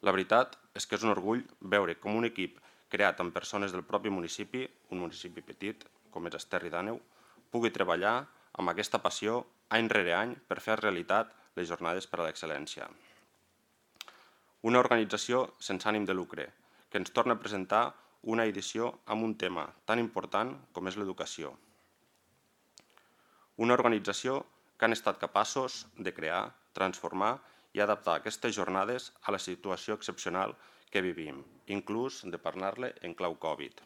La veritat és que és un orgull veure com un equip creat amb persones del propi municipi, un municipi petit com és Esterri d'Àneu, pugui treballar amb aquesta passió any rere any per fer realitat les jornades per a l'excel·lència. Una organització sense ànim de lucre, que ens torna a presentar una edició amb un tema tan important com és l'educació. Una organització que han estat capaços de crear, transformar i adaptar aquestes jornades a la situació excepcional que vivim, inclús de parlar-ne en clau Covid.